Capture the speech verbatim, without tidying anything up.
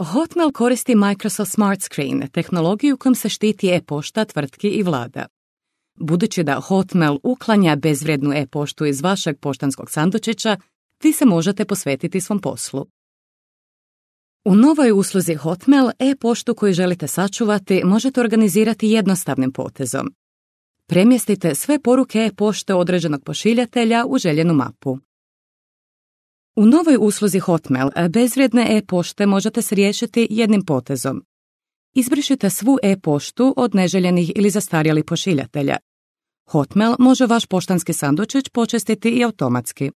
Hotmail koristi Microsoft Smart Screen, tehnologiju kojom se štiti e-pošta tvrtki i vlada. Budući da Hotmail uklanja bezvrijednu e-poštu iz vašeg poštanskog sandučića, vi se možete posvetiti svom poslu. U novoj usluzi Hotmail e-poštu koju želite sačuvati možete organizirati jednostavnim potezom. Premjestite sve poruke e-pošte određenog pošiljatelja u željenu mapu. U novoj usluzi Hotmail bezvrijedne e-pošte možete se riješiti jednim potezom. Izbrišite svu e-poštu od neželjenih ili zastarjelih pošiljatelja. Hotmail može vaš poštanski sandučić počistiti i automatski.